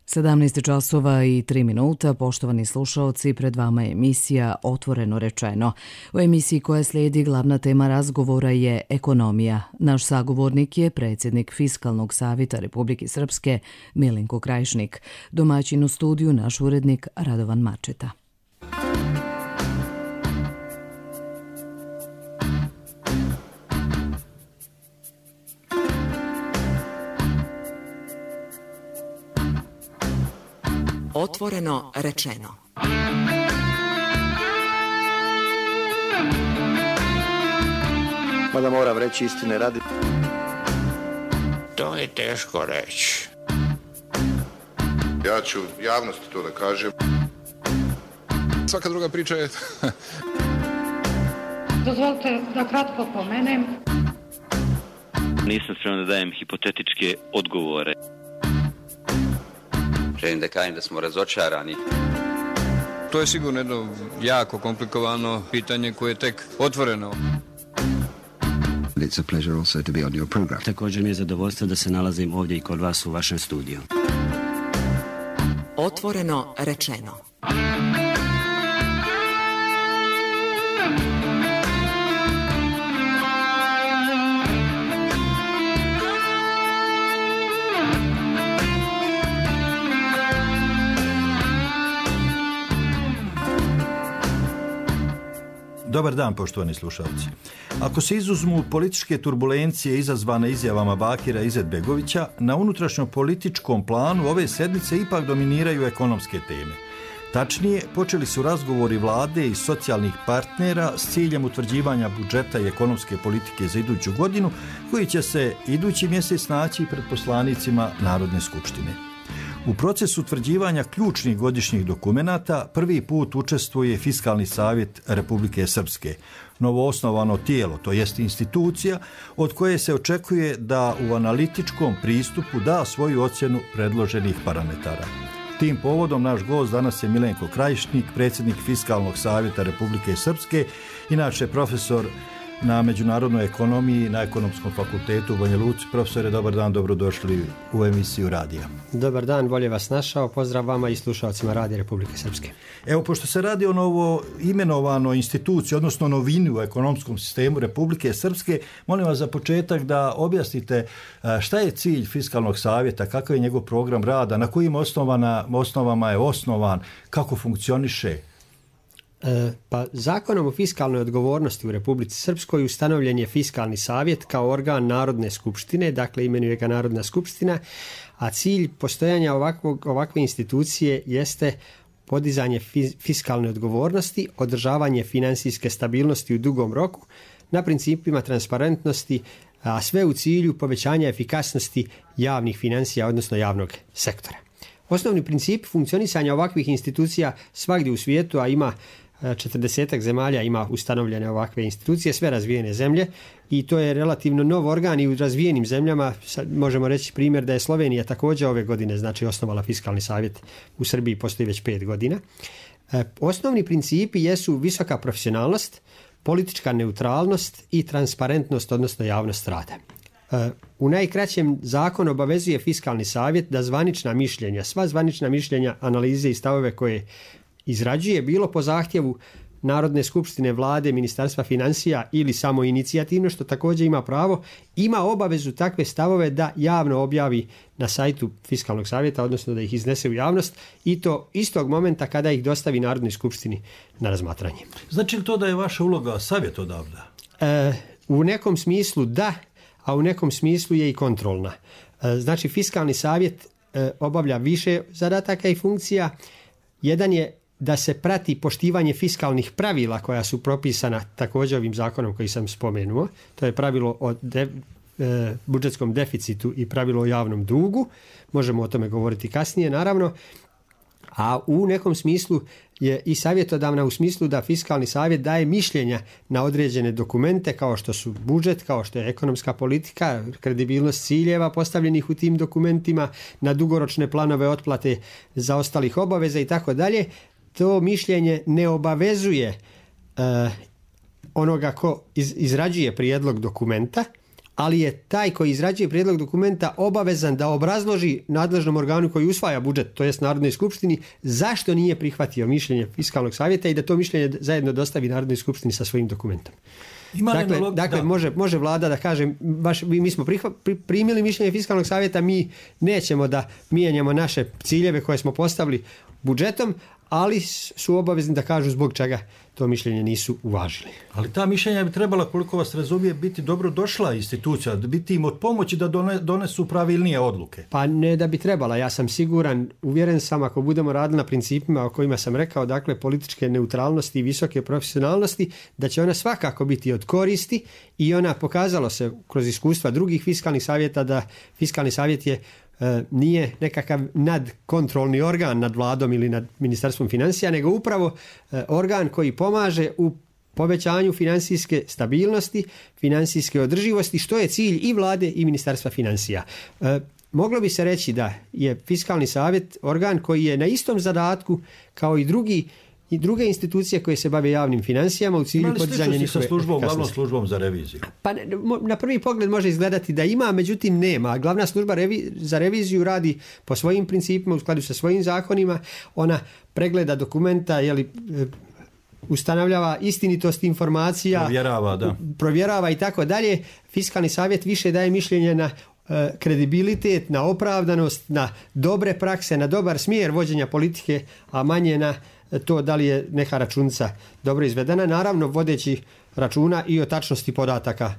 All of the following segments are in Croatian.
17 časova i 3 minuta, poštovani slušaoci, pred vama je emisija Otvoreno rečeno. U emisiji koja slijedi glavna tema razgovora je ekonomija. Naš sagovornik je predsjednik Fiskalnog savjeta Republike Srpske Milenko Krajišnik. Domaćin u studiju naš urednik Radovan Mačeta. Otvoreno rečeno. Mada moram reći istine radi. To je teško reći. Ja ću javnosti to da kažem. Svaka druga priča je... Dozvolite da kratko pomenem. Nisam spreman da dajem hipotetičke odgovore. Želim da kažem da smo razočarani. To je sigurno jedno jako komplikovano pitanje koje je tek otvoreno. It's a pleasure also to be on your program. Također mi je zadovoljstvo da se nalazim ovdje i kod vas u vašem studiju. Otvoreno rečeno. Dobar dan, poštovani slušalci. Ako se izuzmu političke turbulencije izazvane izjavama Bakira Izetbegovića, na unutrašnjom političkom planu ove sedmice ipak dominiraju ekonomske teme. Tačnije, počeli su razgovori vlade i socijalnih partnera s ciljem utvrđivanja budžeta i ekonomske politike za iduću godinu, koji će se idući mjesec naći pred poslanicima Narodne skupštine. U procesu utvrđivanja ključnih godišnjih dokumenata prvi put učestvuje Fiskalni savjet Republike Srpske, novoosnovano tijelo, to jest institucija od koje se očekuje da u analitičkom pristupu da svoju ocjenu predloženih parametara. Tim povodom naš gost danas je Milenko Krajišnik, predsjednik Fiskalnog savjeta Republike Srpske, inače profesor na međunarodnoj ekonomiji na Ekonomskom fakultetu u Banja Luci. Profesore, dobar dan, dobrodošli u emisiju radija. Dobar dan, bolje vas našao, pozdrav vama i slušalcima Radija Republike Srpske. Evo, pošto se radi o novo imenovanoj instituciji, odnosno novini u ekonomskom sistemu Republike Srpske, molim vas za početak da objasnite šta je cilj Fiskalnog savjeta, kakav je njegov program rada, na kojim osnovama je osnovan, kako funkcioniše. Pa zakonom o fiskalnoj odgovornosti u Republici Srpskoj ustanovljen je Fiskalni savjet kao organ Narodne skupštine, dakle imenuje ga Narodna skupština, a cilj postojanja ovakve institucije jeste podizanje fiskalne odgovornosti, održavanje financijske stabilnosti u dugom roku na principima transparentnosti, a sve u cilju povećanja efikasnosti javnih financija, odnosno javnog sektora. Osnovni princip funkcionisanja ovakvih institucija svagdje u svijetu, a ima 40 zemalja ima ustanovljene ovakve institucije, sve razvijene zemlje, i to je relativno nov organ i u razvijenim zemljama. Možemo reći primjer da je Slovenija također ove godine osnovala Fiskalni savjet. U Srbiji postoji već 5 godina. Osnovni principi jesu visoka profesionalnost, politička neutralnost i transparentnost, odnosno javnost rada. U najkraćem, zakon obavezuje Fiskalni savjet da sva zvanična mišljenja, analize i stavove koje izrađuje, bilo po zahtjevu Narodne skupštine, vlade, Ministarstva financija ili samo inicijativno, što također ima pravo, ima obavezu takve stavove da javno objavi na sajtu Fiskalnog savjeta, odnosno da ih iznese u javnost, i to istog momenta kada ih dostavi Narodnoj skupštini na razmatranje. Znači li to da je vaša uloga savjetodavna? U nekom smislu da, a u nekom smislu je i kontrolna. Znači, Fiskalni savjet obavlja više zadataka i funkcija. Jedan je da se prati poštivanje fiskalnih pravila koja su propisana također ovim zakonom koji sam spomenuo. To je pravilo o budžetskom deficitu i pravilo o javnom dugu. Možemo o tome govoriti kasnije, naravno. A u nekom smislu je i savjetodavna u smislu da Fiskalni savjet daje mišljenja na određene dokumente kao što su budžet, kao što je ekonomska politika, kredibilnost ciljeva postavljenih u tim dokumentima, na dugoročne planove otplate zaostalih obaveza i tako dalje. To mišljenje ne obavezuje onoga ko izrađuje prijedlog dokumenta, ali je taj koji izrađuje prijedlog dokumenta obavezan da obrazloži nadležnom organu koji usvaja budžet, to jest Narodnoj skupštini, zašto nije prihvatio mišljenje Fiskalnog savjeta i da to mišljenje zajedno dostavi Narodnoj skupštini sa svojim dokumentom. Dakle, može vlada da kaže, baš mi smo primili mišljenje Fiskalnog savjeta, mi nećemo da mijenjamo naše ciljeve koje smo postavili budžetom, ali su obavezni da kažu zbog čega to mišljenje nisu uvažili. Ali ta mišljenja bi trebala, koliko vas razumije, biti dobro došla institucija, biti im od pomoći da donesu pravilnije odluke. Pa ne da bi trebala, ja sam siguran, uvjeren sam, ako budemo radili na principima o kojima sam rekao, dakle političke neutralnosti i visoke profesionalnosti, da će ona svakako biti od koristi i ona pokazalo se kroz iskustva drugih fiskalnih savjeta da Fiskalni savjet nije nekakav nadkontrolni organ nad vladom ili nad Ministarstvom financija, nego upravo organ koji pomaže u povećanju financijske stabilnosti, financijske održivosti, što je cilj i vlade i Ministarstva financija. Moglo bi se reći da je Fiskalni savjet organ koji je na istom zadatku kao i druge institucije koje se bave javnim financijama u cilju podizanja njihove efikasnosti. Glavnom službom za reviziju? Pa na prvi pogled može izgledati da ima, međutim nema. Glavna služba za reviziju radi po svojim principima, u skladu sa svojim zakonima. Ona pregleda dokumenta, ustanovljava istinitost informacija, provjerava i tako dalje. Fiskalni savjet više daje mišljenje na kredibilitet, na opravdanost, na dobre prakse, na dobar smjer vođenja politike, a manje na to da li je neka računica dobro izvedena, naravno vodeći računa i o tačnosti podataka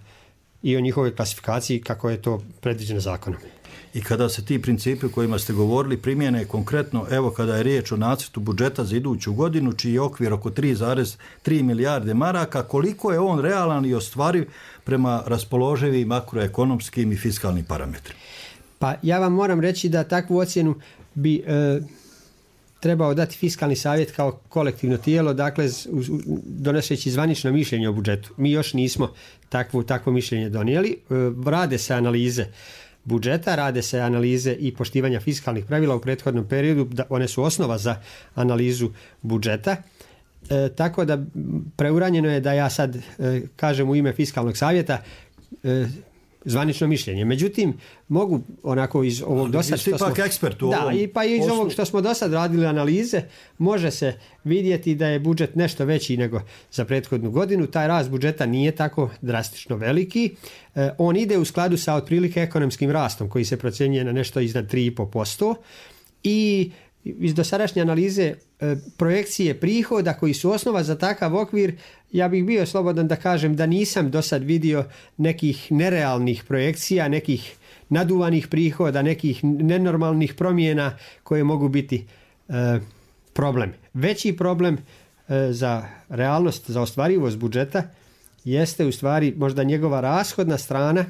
i o njihovoj klasifikaciji kako je to predviđeno zakonom. I kada se ti principi o kojima ste govorili primjene konkretno, evo kada je riječ o nacrtu budžeta za iduću godinu, čiji je okvir oko 3,3 milijarde maraka, koliko je on realan i ostvariv prema raspoloživim makroekonomskim i fiskalnim parametrima? Pa ja vam moram reći da takvu ocjenu bi trebao dati Fiskalni savjet kao kolektivno tijelo, dakle donoseći zvanično mišljenje o budžetu. Mi još nismo takvo mišljenje donijeli. Rade se analize budžeta, rade se analize i poštivanja fiskalnih pravila u prethodnom periodu, one su osnova za analizu budžeta. Tako da preuranjeno je da ja sad kažem u ime Fiskalnog savjeta zvanično mišljenje. Međutim, mogu onako iz ovog dosad što smo... iz ovog što smo dosad radili analize, može se vidjeti da je budžet nešto veći nego za prethodnu godinu. Taj rast budžeta nije tako drastično veliki. On ide u skladu sa otprilike ekonomskim rastom koji se procjenjuje na nešto iznad 3,5% i iz dosadašnje analize projekcije prihoda koji su osnova za takav okvir, ja bih bio slobodan da kažem da nisam do sad vidio nekih nerealnih projekcija, nekih naduvanih prihoda, nekih nenormalnih promjena koje mogu biti problem. Veći problem za realnost, za ostvarivost budžeta jeste u stvari možda njegova rashodna strana,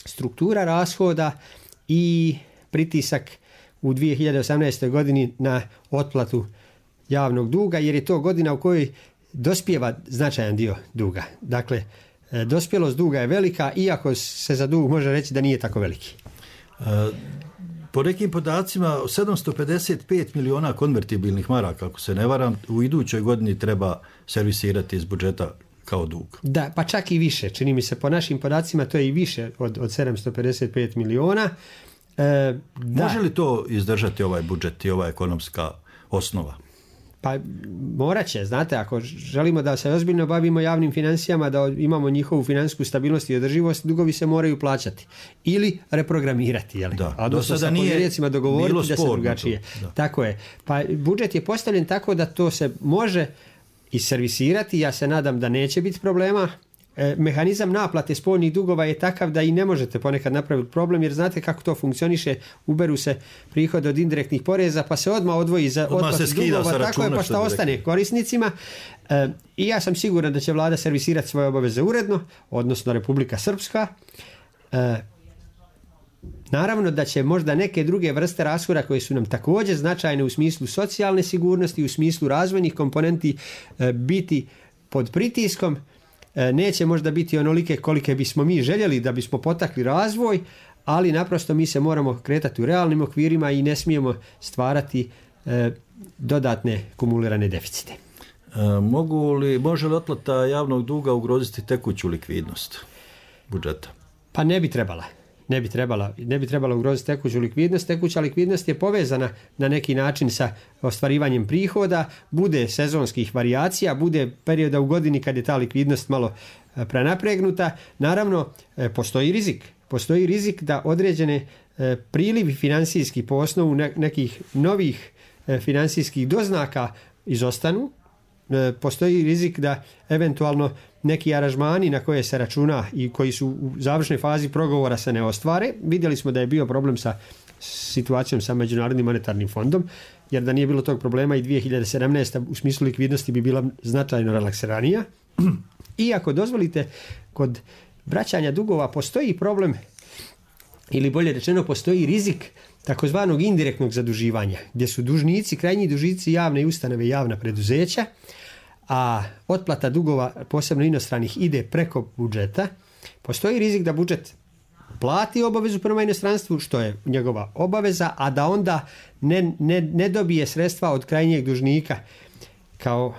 struktura rashoda i pritisak u 2018. godini na otplatu javnog duga, jer je to godina u kojoj dospijeva značajan dio duga. Dakle, dospjelost duga je velika, iako se za dug može reći da nije tako veliki. Po nekim podacima 755 miliona konvertibilnih maraka, ako se ne varam, u idućoj godini treba servisirati iz budžeta kao dug. Da, pa čak i više. Čini mi se po našim podacima to je i više od 755 miliona. Može li to izdržati ovaj budžet i ova ekonomska osnova? Pa morat će, znate, ako želimo da se ozbiljno bavimo javnim financijama, da imamo njihovu financijsku stabilnost i održivost, dugovi se moraju plaćati ili reprogramirati, a dosta sa povjerenjacima dogovoriti da se drugačije. Tako je. Pa budžet je postavljen tako da to se može i servisirati, ja se nadam da neće biti problema. Mehanizam naplate spoljnih dugova je takav da i ne možete ponekad napraviti problem, jer znate kako to funkcioniše, uberu se prihod od indirektnih poreza pa se odmah odvoji za otplatu dugova, tako je, pa šta ostane korisnicima. I ja sam siguran da će vlada servisirati svoje obaveze uredno, odnosno Republika Srpska. Naravno da će možda neke druge vrste rashoda koje su nam također značajne u smislu socijalne sigurnosti, u smislu razvojnih komponenti biti pod pritiskom. Neće možda biti onolike kolike bismo mi željeli da bismo potakli razvoj, ali naprosto mi se moramo kretati u realnim okvirima i ne smijemo stvarati dodatne kumulirane deficite. Može li otplata javnog duga ugroziti tekuću likvidnost budžeta? Pa ne bi trebala ugroziti tekuću likvidnost. Tekuća likvidnost je povezana na neki način sa ostvarivanjem prihoda, bude sezonskih varijacija, bude perioda u godini kad je ta likvidnost malo prenapregnuta. Naravno, postoji rizik da određene prilivi financijski po osnovu nekih novih financijskih doznaka izostanu. Postoji rizik da eventualno neki aranžmani na koje se računa i koji su u završnoj fazi pregovora se ne ostvare. Vidjeli smo da je bio problem sa situacijom sa Međunarodnim monetarnim fondom, jer da nije bilo tog problema i 2017. u smislu likvidnosti bi bila značajno relaksiranija. I ako dozvolite, kod vraćanja dugova postoji problem, ili bolje rečeno postoji rizik takozvanog indirektnog zaduživanja, gdje su dužnici, krajnji dužnici javne ustanove i javna preduzeća, a otplata dugova, posebno inostranih, ide preko budžeta. Postoji rizik da budžet plati obavezu prema inostranstvu, što je njegova obaveza, a da onda ne dobije sredstva od krajnjeg dužnika kao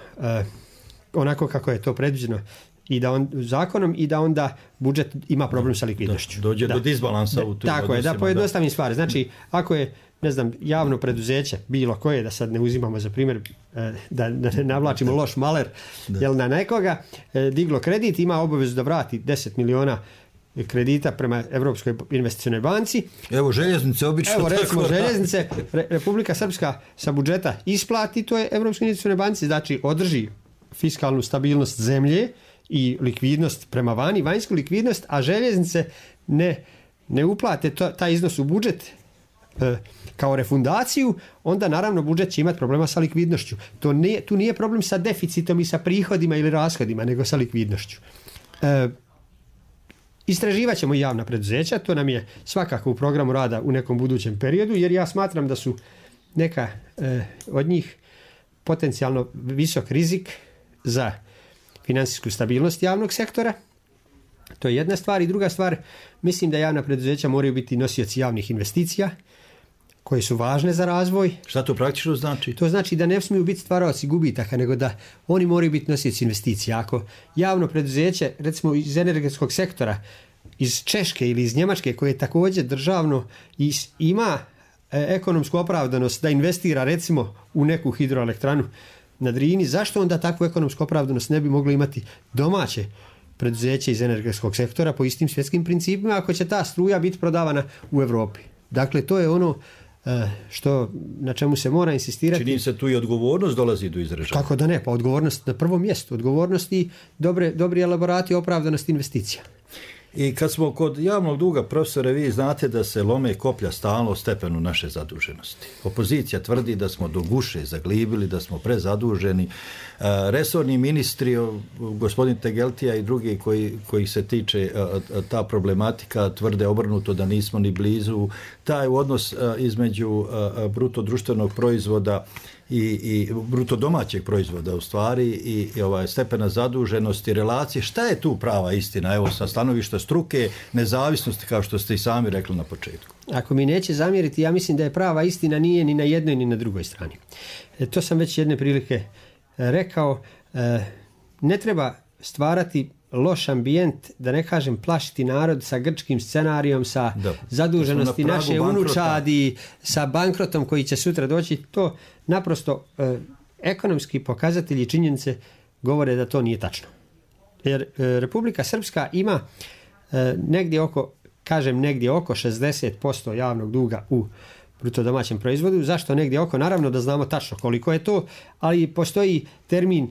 onako kako je to predviđeno i da zakonom, i da onda budžet ima problem sa likvidnošću. Dođe do disbalansa u tim tako odnosima. Da pojednostavim stvari. Znači, ako je, ne znam, javno preduzeće, bilo koje, da sad ne uzimamo za primjer, da ne navlačimo loš maler, jel na nekoga, diglo kredit, ima obavezu da vrati 10 miliona kredita prema Europskoj investicionoj banci. Evo željeznice obično. Evo recimo željeznice, Republika Srpska sa budžeta isplati to je Europskoj investicionoj banci, znači održi fiskalnu stabilnost zemlje i likvidnost prema vani, vanjsku likvidnost, a željeznice ne uplate taj iznos u budžet kao refundaciju, onda naravno budžet će imati problema sa likvidnošću. Tu nije problem sa deficitom i sa prihodima ili rashodima, nego sa likvidnošću. Istraživat ćemo i javna preduzeća, to nam je svakako u programu rada u nekom budućem periodu, jer ja smatram da su neka od njih potencijalno visok rizik za financijsku stabilnost javnog sektora. To je jedna stvar. I druga stvar, mislim da javna preduzeća moraju biti nosioci javnih investicija koje su važne za razvoj. Šta to praktično znači? To znači da ne smiju biti stvaraoci gubitaka, nego da oni moraju biti nosioci investicija. Ako javno preduzeće, recimo iz energetskog sektora, iz Češke ili iz Njemačke, koje je također državno i ima ekonomsku opravdanost da investira recimo u neku hidroelektranu na Drini, zašto onda takvu ekonomsku opravdanost ne bi moglo imati domaće preduzeće iz energetskog sektora po istim svjetskim principima, ako će ta struja biti prodavana u Europi? Dakle, to je ono na čemu se mora insistirati. Čini se tu i odgovornost dolazi do izražaja. Kako da ne, pa odgovornost na prvom mjestu. Odgovornost i dobri elaborati opravdanosti investicija. I kad smo kod javnog duga, profesore, vi znate da se lome koplja stalno stepenu naše zaduženosti. Opozicija tvrdi da smo do guše zaglibili, da smo prezaduženi. Resorni ministri, gospodin Tegeltija i drugi koji se tiče ta problematika, tvrde obrnuto da nismo ni blizu. Taj odnos između bruto društvenog proizvoda i bruto domaćeg proizvoda u stvari i stepena zaduženosti, relacije, šta je tu prava istina, evo sa stanovišta struke, nezavisnosti, kao što ste i sami rekli na početku? Ako mi neće zamjeriti, ja mislim da je prava istina nije ni na jednoj ni na drugoj strani. To sam već jedne prilike rekao, ne treba stvarati loš ambijent, da ne kažem plašiti narod sa grčkim scenarijom, sa zaduženosti naše unučadi, sa bankrotom koji će sutra doći. To naprosto ekonomski pokazatelji i činjenice govore da to nije tačno. Jer Republika Srpska ima negdje oko 60% javnog duga u bruto domaćem proizvodu. Zašto negdje oko? Naravno da znamo tačno koliko je to, ali postoji termin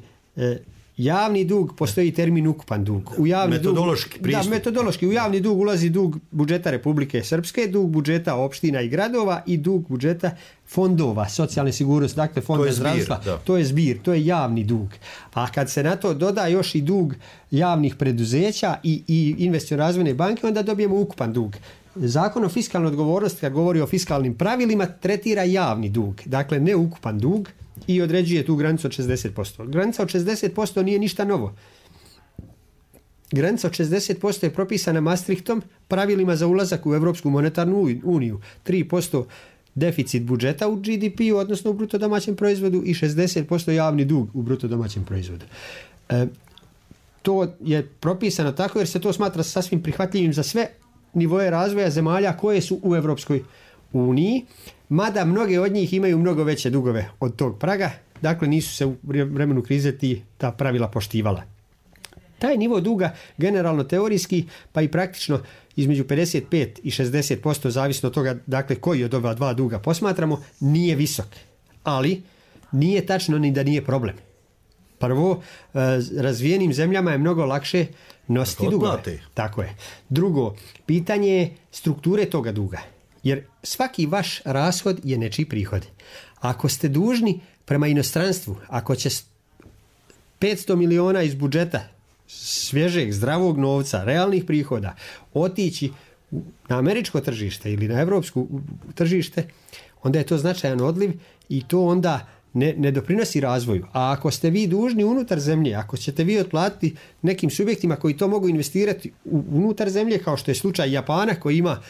javni dug, postoji termin ukupan dug. Metodološki pristup. Metodološki. U javni dug ulazi dug budžeta Republike Srpske, dug budžeta opština i gradova i dug budžeta fondova, socijalne sigurnosti, dakle fonda zdravstva. To je zbir, to je javni dug. A kad se na to doda još i dug javnih preduzeća i investiciono-razvojne banke, onda dobijemo ukupan dug. Zakon o fiskalnoj odgovornosti, kad govori o fiskalnim pravilima, tretira javni dug, dakle ne ukupan dug, i određuje tu granicu od 60%. Granica od 60% nije ništa novo. Granica od 60% je propisana Maastrichtom, pravilima za ulazak u Europsku monetarnu uniju. 3% deficit budžeta u GDP-u, odnosno u bruto domaćem proizvodu, i 60% javni dug u bruto domaćem proizvodu. To je propisano tako jer se to smatra sasvim prihvatljivim za sve nivoe razvoja zemalja koje su u Europskoj uniji, mada mnoge od njih imaju mnogo veće dugove od tog praga, dakle nisu se u vremenu krize ta pravila poštivala. Taj nivo duga generalno teorijski pa i praktično između 55 i 60%, zavisno od toga dakle koji od ova dva duga posmatramo, nije visok. Ali nije tačno ni da nije problem. Prvo, razvijenim zemljama je mnogo lakše nositi dugove. Tako je. Drugo, pitanje je strukture toga duga. Jer svaki vaš rashod je nečiji prihod. Ako ste dužni prema inostranstvu, ako će 500 miliona iz budžeta svježeg, zdravog novca, realnih prihoda otići na američko tržište ili na evropsko tržište, onda je to značajan odliv i to onda ne doprinosi razvoju. A ako ste vi dužni unutar zemlje, ako ćete vi otplatiti nekim subjektima koji to mogu investirati unutar zemlje, kao što je slučaj Japana koji ima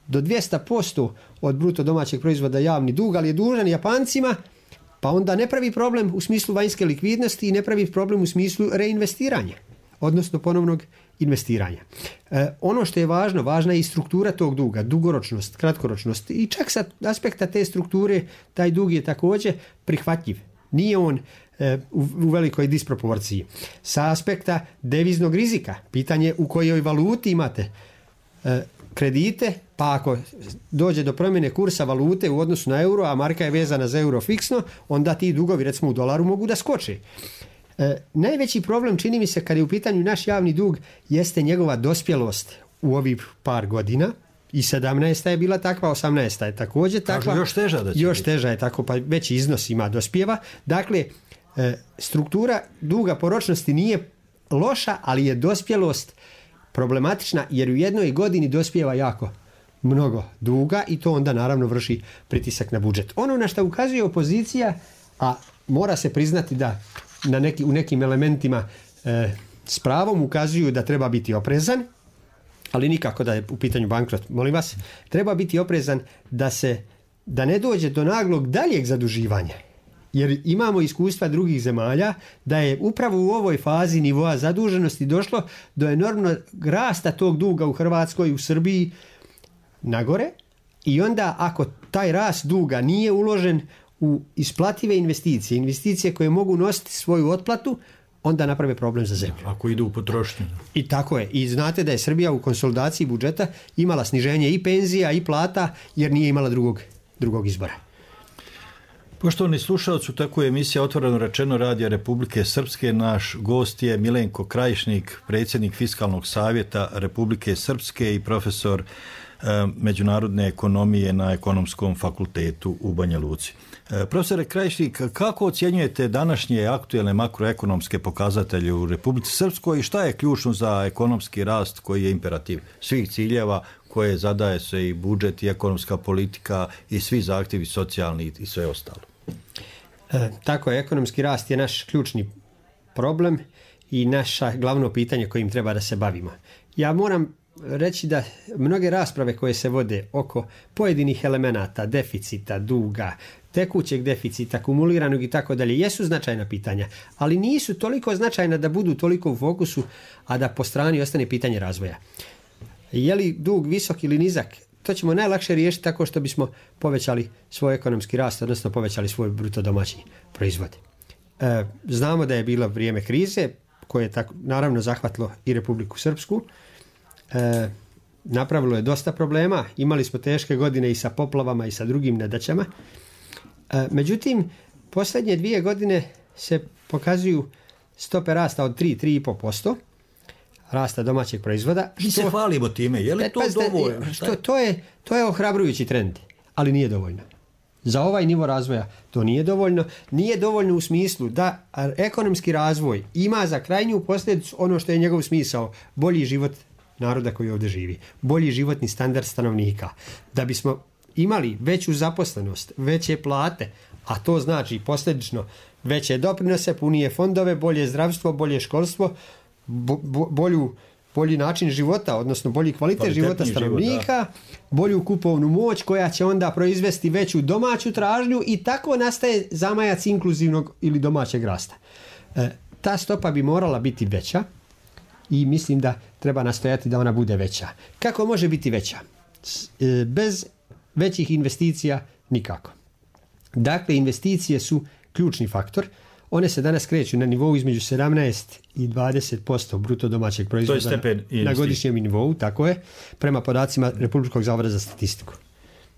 do 200% od bruto domaćeg proizvoda javni dug, ali je dužan Japancima, pa onda ne pravi problem u smislu vanjske likvidnosti i ne pravi problem u smislu reinvestiranja, odnosno ponovnog investiranja. Ono što je važno, važna je i struktura tog duga, dugoročnost, kratkoročnost i čak sa aspekta te strukture taj dug je također prihvatljiv. Nije on u velikoj disproporciji. Sa aspekta deviznog rizika, pitanje u kojoj valuti imate kredite, pa ako dođe do promjene kursa valute u odnosu na euro, a marka je vezana za euro fiksno, onda ti dugovi recimo u dolaru mogu da skoče. Najveći problem čini mi se kad je u pitanju naš javni dug jeste njegova dospjelost u ovih par godina. I 17. je bila takva, 18. je također takva. Još teža je tako, pa veći iznos ima dospjeva. Dakle, struktura duga po ročnosti nije loša, ali je dospjelost problematična jer u jednoj godini dospijeva jako mnogo duga i to onda naravno vrši pritisak na budžet. Ono na što ukazuje opozicija, a mora se priznati da u nekim elementima s pravom ukazuju da treba biti oprezan, ali nikako da je u pitanju bankrot, molim vas, treba biti oprezan da ne dođe do naglog daljeg zaduživanja. Jer imamo iskustva drugih zemalja da je upravo u ovoj fazi nivoa zaduženosti došlo do enormnog rasta tog duga u Hrvatskoj, u Srbiji nagore i onda ako taj rast duga nije uložen u isplative investicije koje mogu nositi svoju otplatu, onda naprave problem za zemlju. Ako idu u potrošnju. I tako je. I znate da je Srbija u konsolidaciji budžeta imala sniženje i penzija i plata jer nije imala drugog izbora. Poštovani slušalci, tako je emisija Otvoreno rečeno Radija Republike Srpske. Naš gost je Milenko Krajišnik, predsjednik Fiskalnog savjeta Republike Srpske i profesor međunarodne ekonomije na Ekonomskom fakultetu u Banja Luci. Profesore Krajišnik, kako ocjenjujete današnje aktuelne makroekonomske pokazatelje u Republici Srpskoj i šta je ključno za ekonomski rast koji je imperativ svih ciljeva koje zadaje se i budžet i ekonomska politika i svi zahtjevi socijalni i sve ostalo? Tako je, ekonomski rast je naš ključni problem i naše glavno pitanje kojim treba da se bavimo. Ja moram reći da mnoge rasprave koje se vode oko pojedinih elemenata, deficita, duga, tekućeg deficita, kumuliranog i tako dalje, jesu značajna pitanja, ali nisu toliko značajna da budu toliko u fokusu, a da po strani ostane pitanje razvoja. Je li dug visok ili nizak? To ćemo najlakše riješiti tako što bismo povećali svoj ekonomski rast, odnosno povećali svoj bruto domaći proizvod. Znamo da je bilo vrijeme krize koje je naravno zahvatilo i Republiku Srpsku. Napravilo je dosta problema, imali smo teške godine i sa poplavama i sa drugim nedaćama. Međutim, posljednje 2 godine se pokazuju stope rasta od 3,5% rasta domaćeg proizvoda. Mi se hvalimo time, je li to dovoljno? To je ohrabrujući trend, ali nije dovoljno. Za ovaj nivo razvoja to nije dovoljno. Nije dovoljno u smislu da ekonomski razvoj ima za krajnju posljedicu ono što je njegov smisao, bolji život naroda koji ovdje živi, bolji životni standard stanovnika. Da bismo imali veću zaposlenost, veće plate, a to znači posljedično veće doprinose, punije fondove, bolje zdravstvo, bolje školstvo, bolji način života, odnosno bolji kvalitet života stanovnika, bolju kupovnu moć koja će onda proizvesti veću domaću tražnju i tako nastaje zamajac inkluzivnog ili domaćeg rasta. Ta stopa bi morala biti veća i mislim da treba nastojati da ona bude veća. Kako može biti veća? Bez većih investicija nikako. Dakle, investicije su ključni faktor. One se danas kreću na nivou između 17 i 20% bruto domaćeg proizvoda na godišnjem nivou, tako je, prema podacima Republičkog zavoda za statistiku.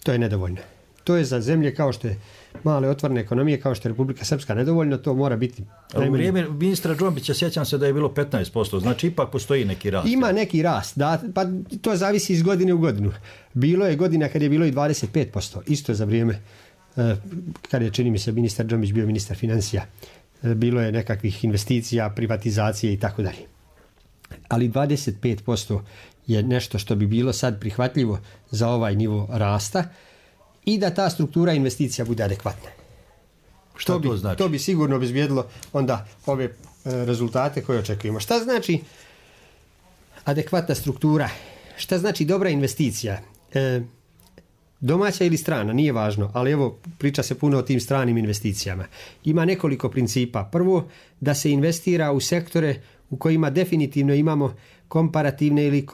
To je nedovoljno. To je za zemlje kao što je male otvorene ekonomije, kao što je Republika Srpska nedovoljno, to mora biti... U vrijeme ministra Džombića sjećam se da je bilo 15%, znači ipak postoji neki rast. Ima neki rast, da, pa to zavisi iz godine u godinu. Bilo je godina kad je bilo i 25%, isto za vrijeme kad je, čini mi se, ministar Džombić bio ministar financija. Bilo je nekakvih investicija, privatizacije i tako dalje. Ali 25% je nešto što bi bilo sad prihvatljivo za ovaj nivo rasta i da ta struktura investicija bude adekvatna. Što to znači? To bi sigurno obezbijedilo onda ove rezultate koje očekujemo. Šta znači adekvatna struktura? Šta znači dobra investicija? Domaća ili strana, nije važno, ali evo priča se puno o tim stranim investicijama. Ima nekoliko principa. Prvo, da se investira u sektore u kojima definitivno imamo komparativne ili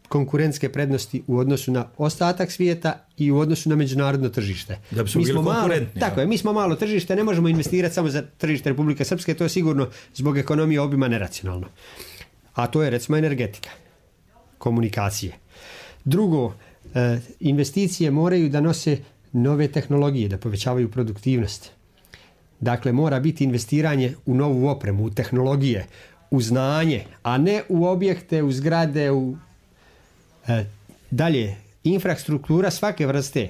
konkurentske prednosti u odnosu na ostatak svijeta i u odnosu na međunarodno tržište. Da bi smo bili konkurentni. Tako je, mi smo malo tržište, ne možemo investirati samo za tržište Republike Srpske, to je sigurno zbog ekonomije obima neracionalno. A to je recimo energetika, komunikacije. Drugo, investicije moraju da nose nove tehnologije, da povećavaju produktivnost. Dakle, mora biti investiranje u novu opremu, u tehnologije, u znanje, a ne u objekte, u zgrade, dalje, infrastruktura svake vrste,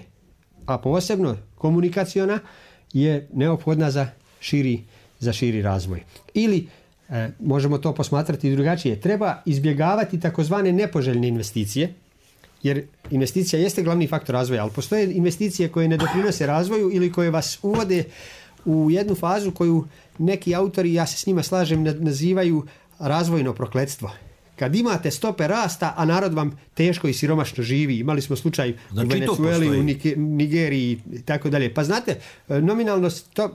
a posebno komunikaciona, je neophodna za širi razvoj. Ili, možemo to posmatrati drugačije, treba izbjegavati takozvane nepoželjne investicije, jer investicija jeste glavni faktor razvoja, ali postoje investicije koje ne doprinose razvoju ili koje vas uvode u jednu fazu koju neki autori, ja se s njima slažem, nazivaju razvojno prokletstvo. Kad imate stope rasta, a narod vam teško i siromašno živi. Imali smo slučaj u Venezueli, u Nigeriji i tako dalje. Pa znate, nominalno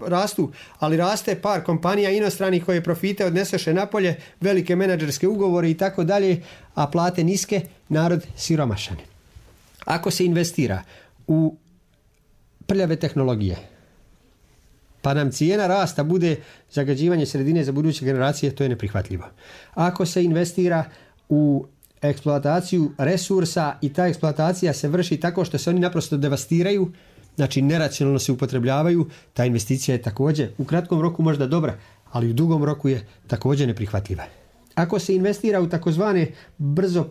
rastu, ali raste par kompanija inostranih koje profite odnesoše napolje, velike menadžerske ugovore i tako dalje, a plate niske, narod siromašan. Ako se investira u prljave tehnologije, pa nam cijena rasta bude zagađivanje sredine za buduće generacije, to je neprihvatljivo. Ako se investira u eksploataciju resursa i ta eksploatacija se vrši tako što se oni naprosto devastiraju, znači neracionalno se upotrebljavaju, ta investicija je također u kratkom roku možda dobra, ali u dugom roku je također neprihvatljiva. Ako se investira u takozvane brzo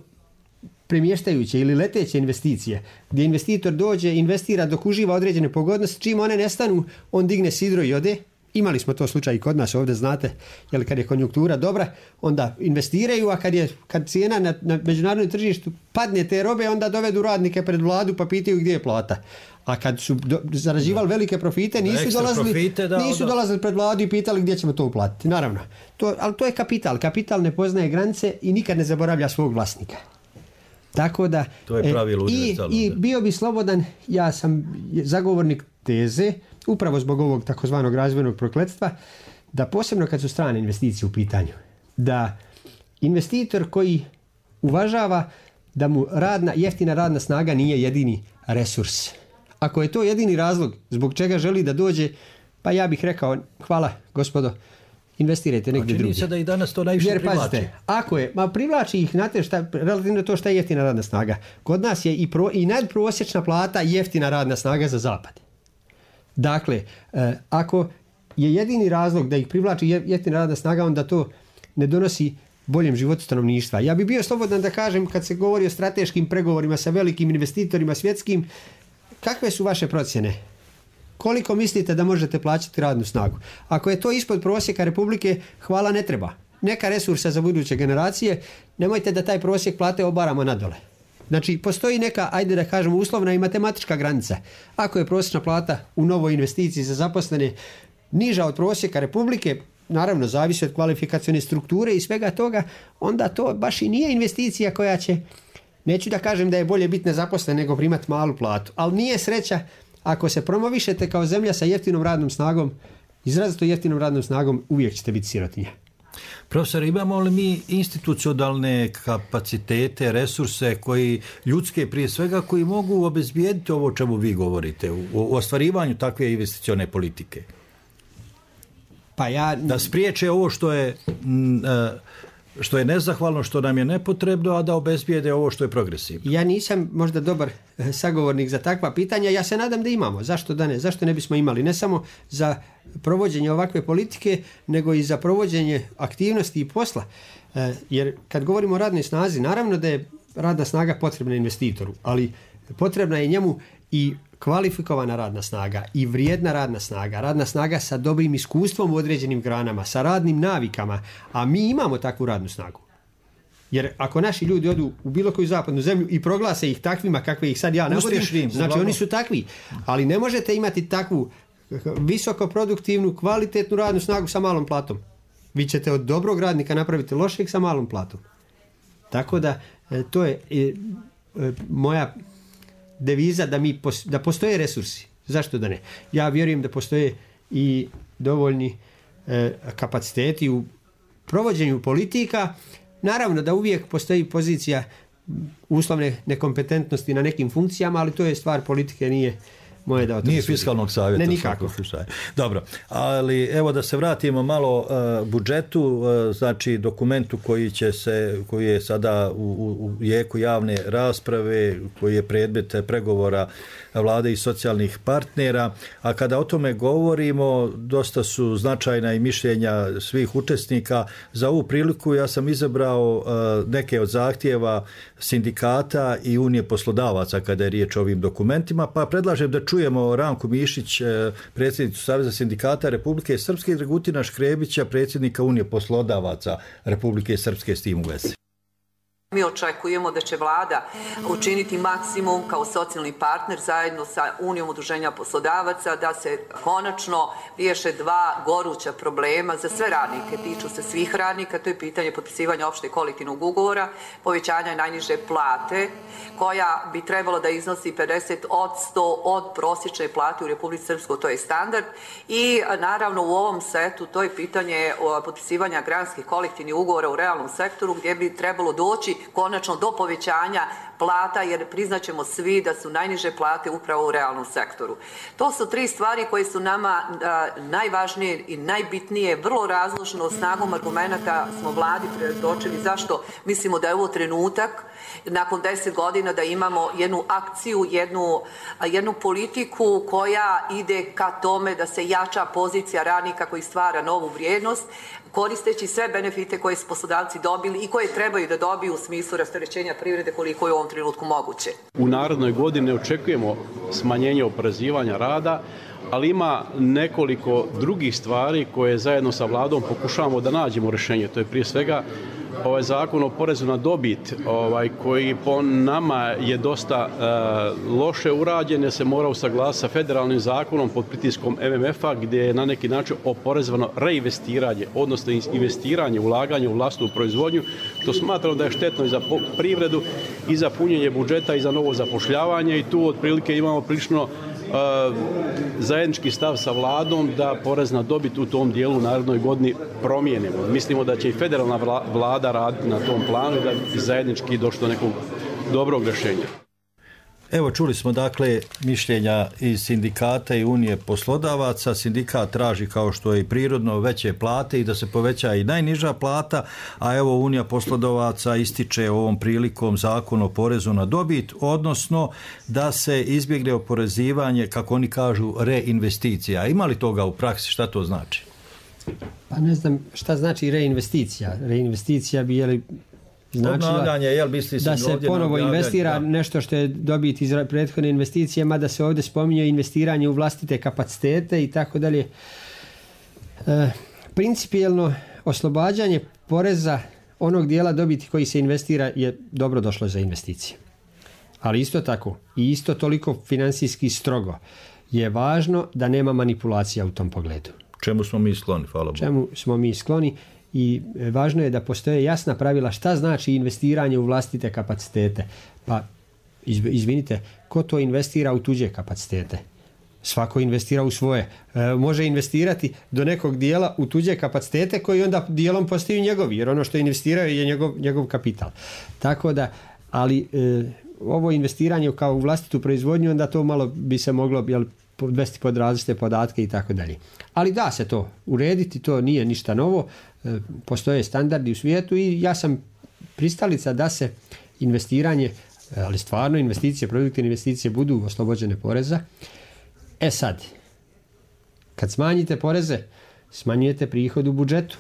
premještajuće ili leteće investicije, gdje investitor dođe, investira dok uživa određene pogodnosti, čim one nestanu, on digne sidro i ode. Imali smo to slučaj i kod nas ovdje, znate, jer kad je konjunktura dobra, onda investiraju, a kad cijena na međunarodnom tržištu padne te robe, onda dovedu radnike pred vladu pa pitaju gdje je plata. A kad su zarađivali velike profite, nisu dolazili pred vladu i pitali gdje ćemo to uplatiti. Naravno, ali to je kapital. Kapital ne poznaje granice i nikad ne zaboravlja svog vlasnika. Tako da, to je pravilo i bio bi slobodan, ja sam zagovornik teze, upravo zbog ovog takozvanog razvojnog prokletstva, da posebno kad su strane investicije u pitanju, da investitor koji uvažava da mu jeftina radna snaga nije jedini resurs. Ako je to jedini razlog zbog čega želi da dođe, pa ja bih rekao, hvala gospodo, investirajte negdje drugdje. Čini se da i danas to najviše privlači. Pazite, ako je, privlači ih, znate relativno to šta je jeftina radna snaga. Kod nas je i nadprosječna plata jeftina radna snaga za zapad. Dakle, ako je jedini razlog da ih privlači jeftina radna snaga, onda to ne donosi boljem životu stanovništva. Ja bih bio slobodan da kažem, kad se govori o strateškim pregovorima sa velikim investitorima svjetskim, kakve su vaše procjene? Koliko mislite da možete plaćati radnu snagu? Ako je to ispod prosjeka Republike, hvala, ne treba. Neka resursa za buduće generacije, nemojte da taj prosjek plate obaramo nadole. Znači, postoji neka, ajde da kažemo, uslovna i matematička granica. Ako je prosječna plata u novoj investiciji za zaposlene niža od prosjeka Republike, naravno zavisi od kvalifikacione strukture i svega toga, onda to baš i nije investicija koja će, neću da kažem da je bolje biti nezaposlen nego primati malu platu, ali nije sreća ako se promovišete kao zemlja sa jeftinom radnom snagom, izrazito jeftinom radnom snagom, uvijek ćete biti sirotinja. Profesor, imamo li mi institucionalne kapacitete, resurse koji, ljudske prije svega, koji mogu obezbijediti ovo o čemu vi govorite u ostvarivanju takve investicione politike? Da spriječe ovo što je nezahvalno, što nam je nepotrebno, a da obezbijede ovo što je progresivno. Ja nisam možda dobar sagovornik za takva pitanja, ja se nadam da imamo. Zašto da ne? Zašto ne bismo imali? Ne samo za provođenje ovakve politike, nego i za provođenje aktivnosti i posla. Jer kad govorimo o radnoj snazi, naravno da je radna snaga potrebna investitoru, ali potrebna je njemu i kvalifikovana radna snaga i vrijedna radna snaga sa dobrim iskustvom u određenim granama, sa radnim navikama, a mi imamo takvu radnu snagu. Jer ako naši ljudi odu u bilo koju zapadnu zemlju i proglase ih takvima kakve ih sad ja navodim, znači oni su takvi. Ali ne možete imati takvu visokoproduktivnu, kvalitetnu radnu snagu sa malom platom. Vi ćete od dobrog radnika napraviti lošeg sa malom platom. Tako da to je moja deviza da postoje resursi. Zašto da ne? Ja vjerujem da postoje i dovoljni kapaciteti u provođenju politika. Naravno da uvijek postoji pozicija uslovne nekompetentnosti na nekim funkcijama, ali to je stvar politike, nije moje da o tome. Nije fiskalnog savjeta. Ne, nikako. Dobro, ali evo da se vratimo malo budžetu, znači dokumentu koji je sada u jeku javne rasprave, koji je predmet pregovora vlade i socijalnih partnera, a kada o tome govorimo, dosta su značajna i mišljenja svih učesnika. Za ovu priliku ja sam izabrao neke od zahtjeva sindikata i Unije poslodavaca kada je riječ o ovim dokumentima, pa predlažem da čujemo Ranku Mišić, predsjednicu Saveza sindikata Republike Srpske, i Dragutina Škrebića, predsjednika Unije poslodavaca Republike Srpske s tim u vezi. Mi očekujemo da će vlada učiniti maksimum kao socijalni partner zajedno sa Unijom udruženja poslodavaca da se konačno riješe dva goruća problema za sve radnike. Tiču se svih radnika, to je pitanje potpisivanja opšteg kolektivnog ugovora, povećanja najniže plate koja bi trebalo da iznosi 50% od prosječne plate u Republici Srpskoj, to je standard. I naravno u ovom setu to je pitanje potpisivanja granskih kolektivnih ugovora u realnom sektoru gdje bi trebalo doći konačno do povećanja plata, jer priznaćemo svi da su najniže plate upravo u realnom sektoru. To su tri stvari koje su nama najvažnije i najbitnije. Vrlo razložno snagom argumenata smo vladi predočili zašto mislimo da je ovo trenutak nakon 10 godina da imamo jednu akciju, jednu politiku koja ide ka tome da se jača pozicija radnika koji stvara novu vrijednost, koristeći sve benefite koje su poslodavci dobili i koje trebaju da dobiju u smislu rasterećenja privrede koliko je u ovom trenutku moguće. U narednoj godini očekujemo smanjenje oporezivanja rada, ali ima nekoliko drugih stvari koje zajedno sa vladom pokušavamo da nađemo rješenje. To je prije svega ovaj zakon o porezu na dobit koji po nama je dosta loše urađen, jer se mora usaglasiti sa federalnim zakonom pod pritiskom MMF-a gdje je na neki način oporezovano reinvestiranje, odnosno investiranje, ulaganje u vlastnu proizvodnju. To smatramo da je štetno i za privredu i za punjenje budžeta i za novo zapošljavanje i tu otprilike imamo prilično zajednički stav sa vladom da porez na dobit u tom dijelu u narednoj godini promijenimo. Mislimo da će i federalna vlada raditi na tom planu i da bi zajednički došlo do nekog dobrog rješenja. Evo, čuli smo dakle mišljenja iz sindikata i Unije poslodavaca. Sindikat traži, kao što je i prirodno, veće plate i da se poveća i najniža plata, a evo Unija poslodavaca ističe ovom prilikom zakon o porezu na dobit, odnosno da se izbjegne oporezivanje, kako oni kažu, reinvesticija. Ima li toga u praksi? Šta to znači? Pa ne znam šta znači reinvesticija. Reinvesticija bi značila da se ponovo investira nešto što je dobit iz prethodne investicije, mada se ovdje spominje investiranje u vlastite kapacitete i tako dalje. Principijelno oslobađanje poreza onog dijela dobiti koji se investira je dobro došlo za investicije. Ali isto tako i isto toliko financijski strogo je važno da nema manipulacija u tom pogledu. Čemu smo mi skloni, hvala Bogu. Čemu smo mi skloni i važno je da postoje jasna pravila šta znači investiranje u vlastite kapacitete. Pa, izvinite, ko to investira u tuđe kapacitete? Svako investira u svoje. Može investirati do nekog dijela u tuđe kapacitete koji onda dijelom postaju njegovi, jer ono što je investirao je njegov kapital. Tako da, ali ovo investiranje kao u vlastitu proizvodnju, onda to malo bi se moglo podvesti pod različite podatke i tako dalje. Ali da se to urediti, to nije ništa novo. Postoje standardi u svijetu i ja sam pristalica da se investiranje, ali stvarno investicije, produktivne investicije budu oslobođene poreza. Sad, kad smanjite poreze, smanjujete prihod u budžetu.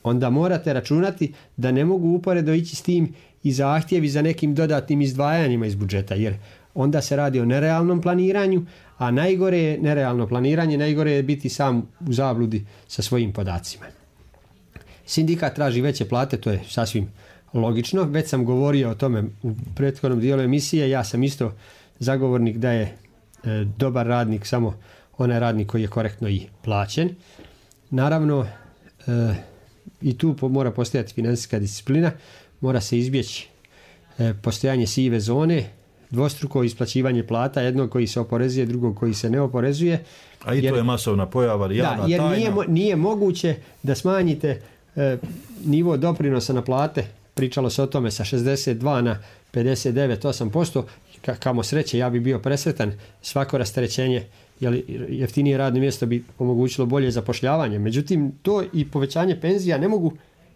Onda morate računati da ne mogu uporedo ići s tim i zahtjevi za nekim dodatnim izdvajanjima iz budžeta, jer onda se radi o nerealnom planiranju, a najgore je nerealno planiranje, najgore je biti sam u zabludi sa svojim podacima. Sindikat traži veće plate, to je sasvim logično. Već sam govorio o tome u prethodnom dijelu emisije, ja sam isto zagovornik da je dobar radnik samo onaj radnik koji je korektno i plaćen. Naravno, i tu mora postojati financijska disciplina, mora se izbjeći postojanje sive zone, dvostruko isplaćivanje plata, jednog koji se oporezuje, drugog koji se ne oporezuje. A i to je masovna pojava, javna jer tajna. Nije moguće da smanjite nivo doprinosa na plate, pričalo se o tome sa 62 na 59,8%, kamo sreće, ja bi bio presretan, svako rasterećenje, jer jeftinije radno mjesto bi omogućilo bolje zapošljavanje. Međutim, to i povećanje penzija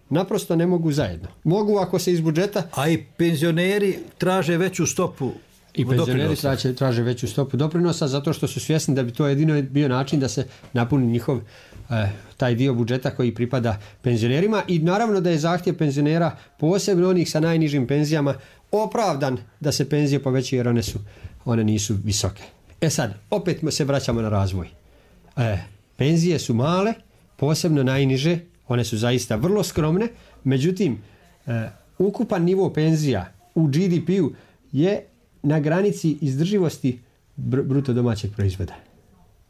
naprosto ne mogu zajedno. Mogu ako se iz budžeta... A i penzioneri traže veću stopu doprinosa. Traže veću stopu doprinosa zato što su svjesni da bi to jedino bio način da se napuni njihov taj dio budžeta koji pripada penzionerima, i naravno da je zahtjev penzionera, posebno onih sa najnižim penzijama, opravdan da se penzije povećaju jer one nisu visoke. Sad, opet se vraćamo na razvoj. Penzije su male, posebno najniže, one su zaista vrlo skromne, međutim, ukupan nivo penzija u GDP-u je na granici izdrživosti bruto domaćeg proizvoda.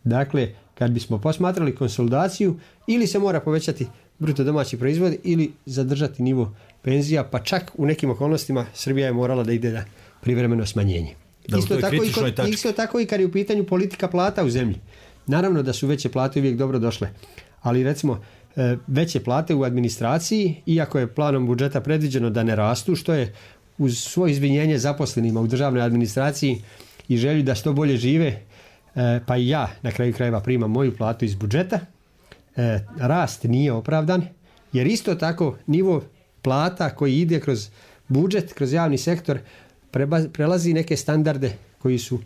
Dakle, kad bismo posmatrali konsolidaciju, ili se mora povećati bruto domaći proizvod ili zadržati nivo penzija, pa čak u nekim okolnostima Srbija je morala da ide na privremeno smanjenje. Isto tako i kad je u pitanju politika plata u zemlji. Naravno da su veće plate uvijek dobro došle, ali recimo veće plate u administraciji, iako je planom budžeta predviđeno da ne rastu, što je uz svoje izvinjenje zaposlenima u državnoj administraciji i želju da što bolje žive, pa i ja na kraju krajeva primam moju platu iz budžeta, rast nije opravdan, jer isto tako nivo plata koji ide kroz budžet, kroz javni sektor, prelazi neke standarde koji su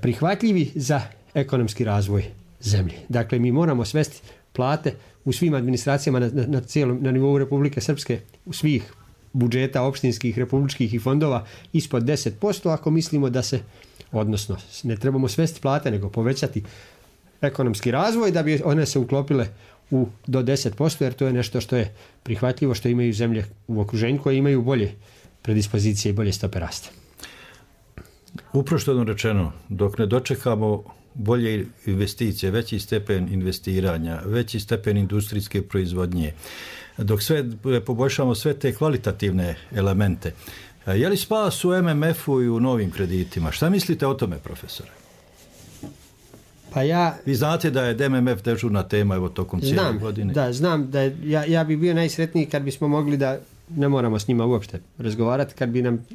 prihvatljivi za ekonomski razvoj zemlje. Dakle, mi moramo svesti plate u svim administracijama na nivou Republike Srpske, u svih budžeta opštinskih, republičkih i fondova ispod 10%, ako mislimo da se, odnosno ne trebamo svesti plate, nego povećati ekonomski razvoj da bi one se uklopile do 10%, jer to je nešto što je prihvatljivo, što imaju zemlje u okruženju koje imaju bolje predispozicije i bolje stope rasta. Uprošteno rečeno, dok ne dočekamo bolje investicije, veći stepen investiranja, veći stepen industrijske proizvodnje, dok sve poboljšamo sve te kvalitativne elemente, je li spas u MMF-u i u novim kreditima? Šta mislite o tome, profesore? Vi znate da je MMF dežurna tema evo tokom cijele godine. Da, znam da ja bi bio najsretniji kad bismo mogli da ne moramo s njima uopšte razgovarati, kad bi nam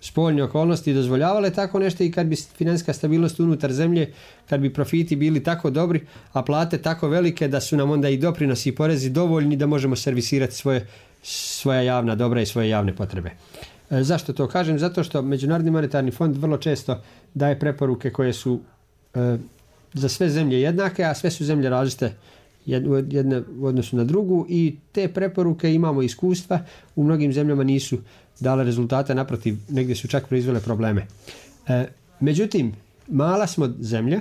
spoljne okolnosti dozvoljavale tako nešto i kad bi financijska stabilnost unutar zemlje, kad bi profiti bili tako dobri, a plate tako velike da su nam onda i doprinosi i porezi dovoljni da možemo servisirati svoja javna dobra i svoje javne potrebe. Zašto to kažem? Zato što Međunarodni monetarni fond vrlo često daje preporuke koje su za sve zemlje jednake, a sve su zemlje različite jedne u odnosu na drugu, i te preporuke, imamo iskustva, u mnogim zemljama nisu dale rezultate, naprotiv, negdje su čak proizvele probleme. Međutim, mala smo zemlja,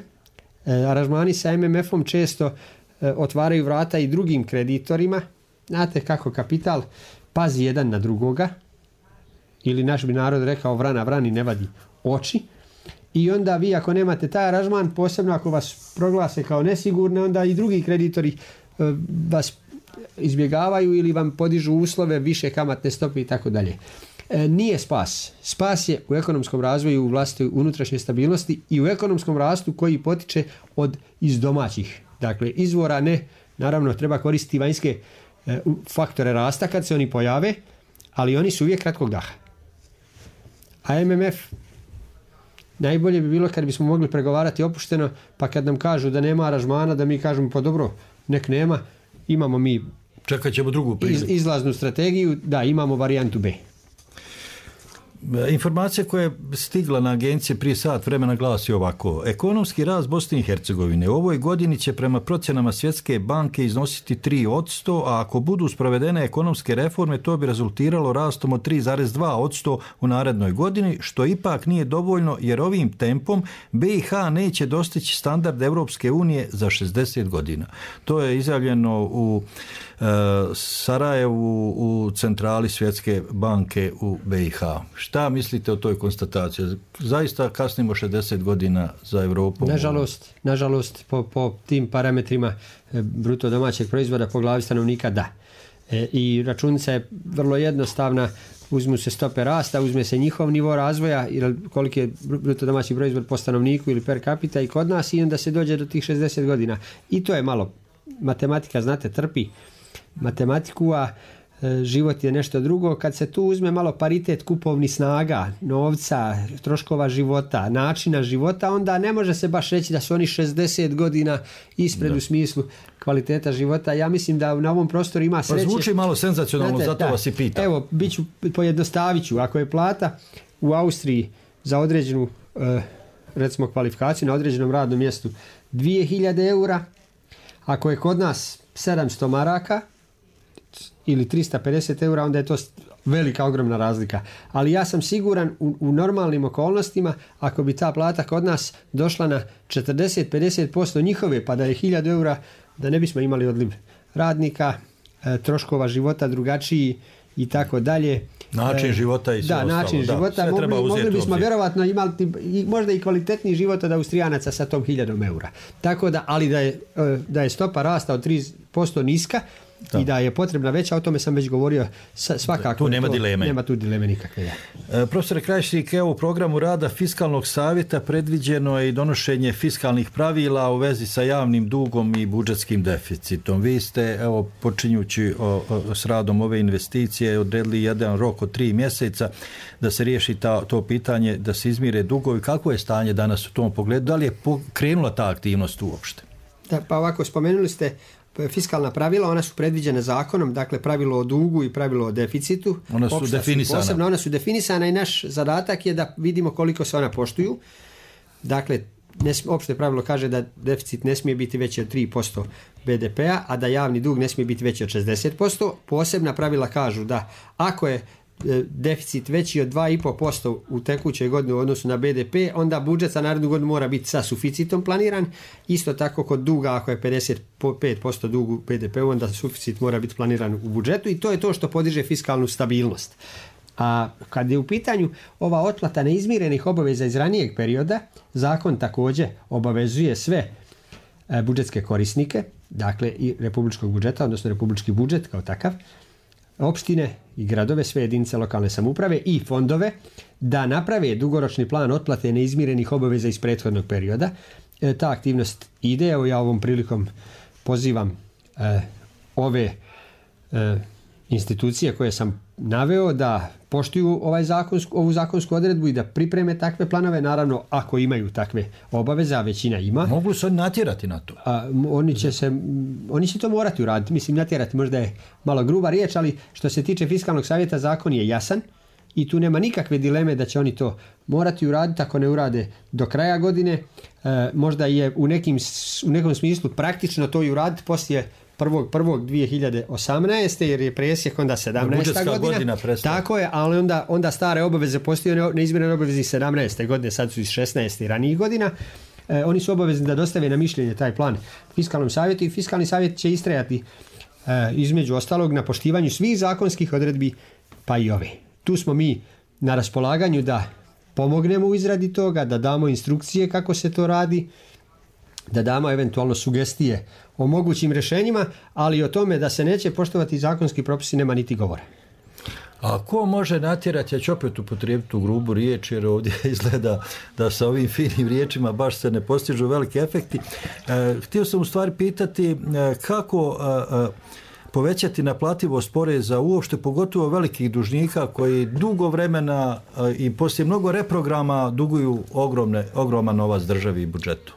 aranžmani sa MMF-om često otvaraju vrata i drugim kreditorima. Znate kako kapital pazi jedan na drugoga, ili naš bi narod rekao vrana vrani ne vadi oči, i onda vi ako nemate taj aranžman, posebno ako vas proglase kao nesigurne, onda i drugi kreditori vas izbjegavaju ili vam podižu uslove, više kamatne stope i tako dalje. nije spas. Spas je u ekonomskom razvoju, u vlastitoj unutrašnjoj stabilnosti i u ekonomskom rastu koji potiče iz domaćih. Dakle, izvora ne, naravno treba koristiti vanjske faktore rasta kad se oni pojave, ali oni su uvijek kratkog daha. A MMF, najbolje bi bilo kad bismo mogli pregovarati opušteno, pa kad nam kažu da nema aranžmana, da mi kažemo pa dobro, nek nema, imamo mi čekat ćemo drugu priliku. Izlaznu strategiju, da, imamo varijantu B. Informacija koja je stigla na agencije prije sat vremena glasi ovako. Ekonomski rast Bosne i Hercegovine u ovoj godini će prema procjenama Svjetske banke iznositi 3%, a ako budu sprovedene ekonomske reforme, to bi rezultiralo rastom od 3,2% u narednoj godini, što ipak nije dovoljno jer ovim tempom BiH neće dostići standard Europske unije za 60 godina. To je izjavljeno u Sarajevu u centrali Svjetske banke u BiH. Šta mislite o toj konstataciji? Zaista kasnimo 60 godina za Europu? Nažalost po tim parametrima bruto domaćeg proizvoda po glavi stanovnika da. I računica je vrlo jednostavna, uzmu se stope rasta, uzme se njihov nivo razvoja, koliki je bruto domaći proizvod po stanovniku ili per capita i kod nas i onda se dođe do tih 60 godina. I to je malo, matematika znate trpi matematiku, a život je nešto drugo. Kad se tu uzme malo paritet kupovnih snaga, novca, troškova života, načina života, onda ne može se baš reći da su oni 60 godina ispred u smislu kvaliteta života. Ja mislim da na ovom prostoru ima sreće. Pa zvuči malo senzacionalno, znate, zato vas i pitam. Evo, pojednostavit ću. Ako je plata u Austriji za određenu recimo kvalifikaciju na određenom radnom mjestu 2000 eura, ako je kod nas 700 maraka ili 350 eura, onda je to velika, ogromna razlika. Ali ja sam siguran u normalnim okolnostima, ako bi ta plata kod nas došla na 40-50% njihove, pa da je 1000 eura, da ne bismo imali odliv radnika, troškova života drugačiji i tako dalje. Način života i sve ostalo. Način života. Mogli bismo vjerovatno imati možda i kvalitetniji život od Austrijanaca sa tom 1000 eura. Tako da, ali da je stopa rasta od 3% niska, i da je potrebna veća, o tome sam već govorio svakako. Tu nema dileme. Nema tu dileme nikakve. Profesor Krajišnik, evo u programu rada Fiskalnog savjeta predviđeno je i donošenje fiskalnih pravila u vezi sa javnim dugom i budžetskim deficitom. Vi ste, evo, počinjući s radom ove investicije, odredili jedan rok od 3 mjeseca da se riješi to pitanje, da se izmire dugovi. Kako je stanje danas u tom pogledu? Da li je krenula ta aktivnost uopšte? Da, pa ovako, spomenuli ste fiskalna pravila, ona su predviđene zakonom, dakle pravilo o dugu i pravilo o deficitu. Ona su definisana. Posebno, ona su definisana i naš zadatak je da vidimo koliko se ona poštuju. Dakle, opšte pravilo kaže da deficit ne smije biti veći od 3% BDP-a, a da javni dug ne smije biti veći od 60%. Posebna pravila kažu da ako je deficit veći od 2,5% u tekućoj godini u odnosu na BDP, onda budžet za narednu godinu mora biti sa suficitom planiran. Isto tako kod duga, ako je 55% dugu BDP-u, onda suficit mora biti planiran u budžetu i to je to što podiže fiskalnu stabilnost. A kad je u pitanju ova otplata neizmirenih obaveza iz ranijeg perioda, zakon također obavezuje sve budžetske korisnike, dakle i republičkog budžeta, odnosno republički budžet kao takav, opštine i gradove, sve jedinice lokalne samouprave i fondove da naprave dugoročni plan otplate neizmirenih obaveza iz prethodnog perioda. Ta aktivnost ide, evo ja ovom prilikom pozivam ove institucije koje sam naveo da poštuju ovu zakonsku odredbu i da pripreme takve planove, naravno ako imaju takve obaveze, a većina ima. Mogu se natjerati na to? Oni će to morati uraditi. Mislim, natjerati možda je malo gruba riječ, ali što se tiče Fiskalnog savjeta, zakon je jasan i tu nema nikakve dileme da će oni to morati uraditi. Ako ne urade do kraja godine, možda je u nekom smislu praktično to i uraditi poslije 1.1.2018. jer je presjek onda 17. godina tako je, ali onda stare obaveze postoje neizmjerene obaveze iz 17. godine, sad su iz 16. ranijih godina. Oni su obavezni da dostave na mišljenje taj plan Fiskalnom savjetu i Fiskalni savjet će istrajati između ostalog na poštivanju svih zakonskih odredbi pa i ove. Tu smo mi na raspolaganju da pomognemo u izradi toga, da damo instrukcije kako se to radi, da damo eventualno sugestije o mogućim rješenjima, ali o tome da se neće poštovati zakonski propisi nema niti govora. A ko može natjerati, ja ću opet upotrijebiti tu grubu riječ, jer ovdje izgleda da sa ovim finim riječima baš se ne postižu veliki efekti. Htio sam u stvari pitati kako povećati naplativost poreza uopšte, pogotovo velikih dužnika koji dugo vremena i poslije mnogo reprograma duguju ogroman novac državi i budžetu.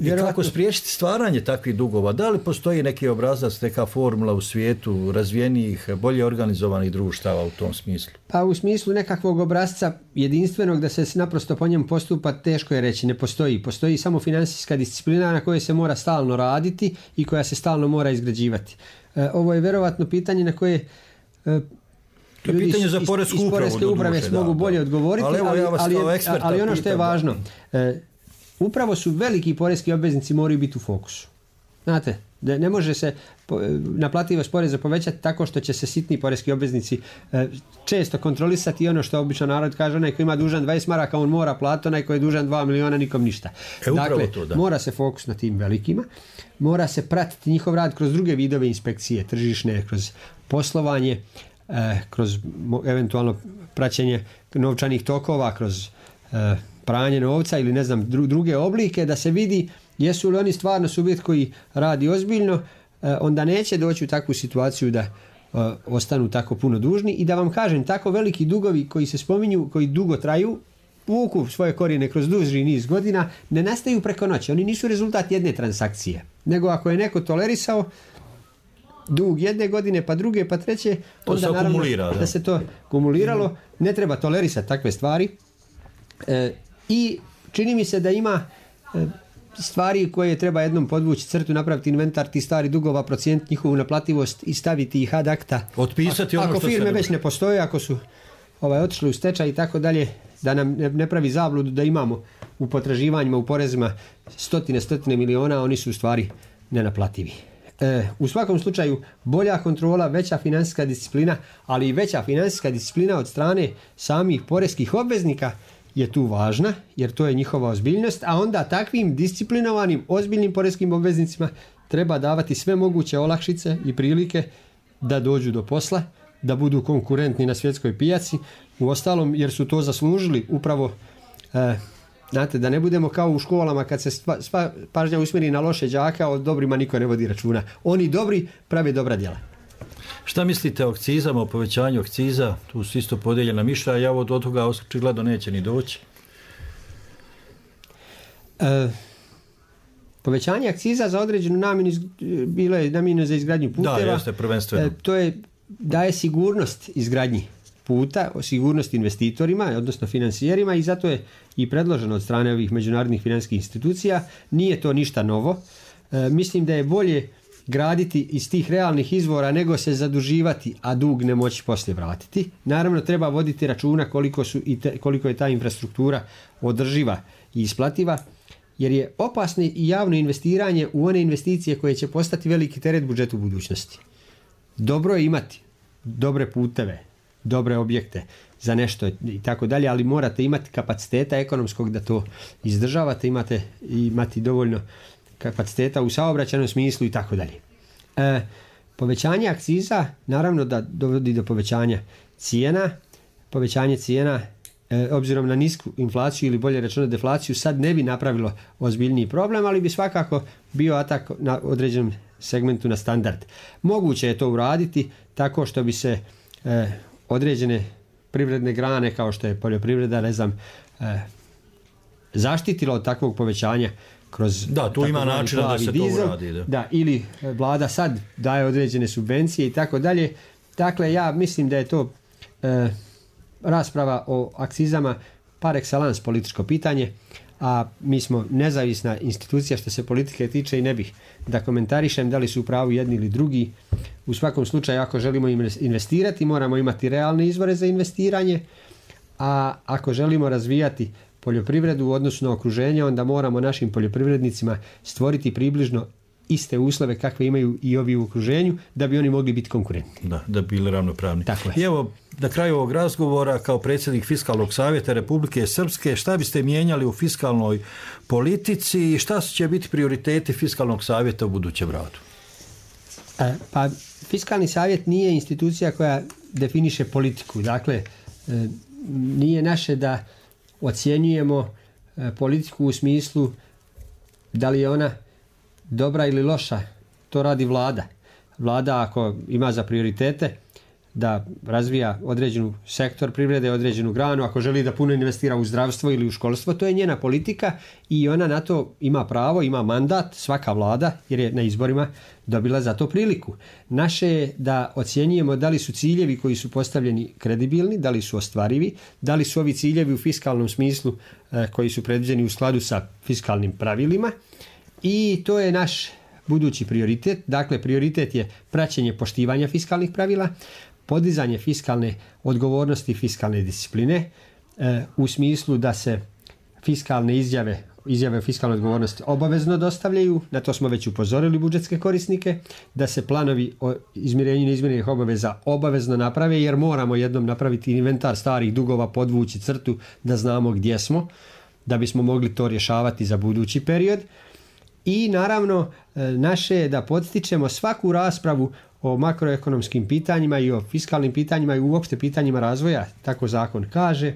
I kako spriječiti stvaranje takvih dugova? Da li postoji neki obrazac, neka formula u svijetu razvijenijih, bolje organizovanih društava u tom smislu? Pa u smislu nekakvog obrazca jedinstvenog da se naprosto po njemu postupa teško je reći, ne postoji. Postoji samo financijska disciplina na kojoj se mora stalno raditi i koja se stalno mora izgrađivati. Ovo je vjerovatno pitanje na koje ljudi za iz Poreske uprave mogu bolje odgovoriti, ali ono što je važno, upravo su veliki poreski obveznici moraju biti u fokusu. Znate, da ne može se naplativost poreza povećati tako što će se sitni poreski obveznici često kontrolisati ono što obično narod kaže, onaj koji ima dužan 20 maraka on mora platiti, onaj koji je dužan 2 miliona nikom ništa. Dakle, mora se fokus na tim velikima, mora se pratiti njihov rad kroz druge vidove inspekcije, tržišne, kroz poslovanje, kroz eventualno praćenje novčanih tokova, kroz pranje novca ili ne znam druge oblike, da se vidi jesu li oni stvarno subjekt koji radi ozbiljno, onda neće doći u takvu situaciju da ostanu tako puno dužni. I da vam kažem, tako veliki dugovi koji se spominju, koji dugo traju, vuku svoje korijene kroz duži niz godina, ne nastaju preko noći. Oni nisu rezultat jedne transakcije, nego ako je neko tolerisao dug jedne godine, pa druge, pa treće, onda naravno da se to kumuliralo. Ne treba tolerisati takve stvari. I čini mi se da ima stvari koje treba jednom podvući crtu, napraviti inventar tih stari dugova, procijeniti njihovu naplativost i staviti ih ad acta. Otpisati ono ako što firme već ne postoje, ako su otišli u stečaj i tako dalje, da nam ne pravi zabludu da imamo u potraživanjima, u porezima stotine miliona, oni su u stvari nenaplativi. U svakom slučaju bolja kontrola, veća financijska disciplina, ali i veća financijska disciplina od strane samih poreskih obveznika je tu važna, jer to je njihova ozbiljnost, a onda takvim disciplinovanim, ozbiljnim poreskim obveznicima treba davati sve moguće olakšice i prilike da dođu do posla, da budu konkurentni na svjetskoj pijaci, uostalom jer su to zaslužili upravo, znate, da ne budemo kao u školama kad se sva pažnja usmjeri na loše đaka, o dobrima niko ne vodi računa. Oni dobri prave dobra djela. Šta mislite o akcizama, o povećanju akciza? Tu su isto podijeljena mišljenja, ja od toga očigledno neće ni doći. Povećanje akciza za određenu namjenu bilo je namijenjeno za izgradnju puteva. Da, jeste, prvenstveno. To daje sigurnost izgradnji puta, sigurnost investitorima, odnosno financijerima, i zato je i predloženo od strane ovih međunarodnih financijskih institucija. Nije to ništa novo. Mislim da je bolje graditi iz tih realnih izvora nego se zaduživati, a dug ne moći poslije vratiti. Naravno, treba voditi računa koliko je ta infrastruktura održiva i isplativa, jer je opasno i javno investiranje u one investicije koje će postati veliki teret budžetu u budućnosti. Dobro je imati dobre puteve, dobre objekte za nešto i tako dalje, ali morate imati kapaciteta ekonomskog da to izdržavate, imati dovoljno kapaciteta u saobraćajnom smislu i tako dalje. Povećanje akciza naravno da dovodi do povećanja cijena. Povećanje cijena obzirom na nisku inflaciju ili bolje rečeno deflaciju sad ne bi napravilo ozbiljniji problem, ali bi svakako bio atak na određenom segmentu na standard. Moguće je to uraditi tako što bi se određene privredne grane kao što je poljoprivreda, ne znam, zaštitilo od takvog povećanja kroz tu ima načina da se dizel, to uradi. Da, ili vlada sad daje određene subvencije i tako dalje. Dakle, ja mislim da je to rasprava o akcizama par excellence političko pitanje, a mi smo nezavisna institucija što se politike tiče i ne bih da komentarišem da li su u pravu jedni ili drugi. U svakom slučaju, ako želimo investirati, moramo imati realne izvore za investiranje, a ako želimo razvijati poljoprivredu u odnosu na okruženje, onda moramo našim poljoprivrednicima stvoriti približno iste uslove kakve imaju i ovi u okruženju da bi oni mogli biti konkurentni. Da bi bili ravnopravni. Tako je. I evo, na kraju ovog razgovora, kao predsjednik Fiskalnog savjeta Republike Srpske, šta biste mijenjali u fiskalnoj politici i šta će biti prioriteti Fiskalnog savjeta u budućem radu? Pa Fiskalni savjet nije institucija koja definiše politiku. Dakle, nije naše da ocjenjujemo politiku u smislu da li je ona dobra ili loša. To radi vlada. Vlada ako ima za prioritete da razvija određenu sektor privrede, određenu granu, ako želi da puno investira u zdravstvo ili u školstvo, to je njena politika i ona na to ima pravo, ima mandat, svaka vlada, jer je na izborima dobila za to priliku. Naše je da ocjenjujemo da li su ciljevi koji su postavljeni kredibilni, da li su ostvarivi, da li su ovi ciljevi u fiskalnom smislu koji su predviđeni u skladu sa fiskalnim pravilima i to je naš budući prioritet. Dakle, prioritet je praćenje poštivanja fiskalnih pravila, podizanje fiskalne odgovornosti i fiskalne discipline u smislu da se fiskalne izjave o fiskalnoj odgovornosti obavezno dostavljaju, na to smo već upozorili budžetske korisnike, da se planovi o izmirenju neizmirenih obaveza obavezno naprave, jer moramo jednom napraviti inventar starih dugova, podvući crtu da znamo gdje smo, da bismo mogli to rješavati za budući period. I naravno naše je da podstičemo svaku raspravu o makroekonomskim pitanjima i o fiskalnim pitanjima i uopšte pitanjima razvoja, tako zakon kaže,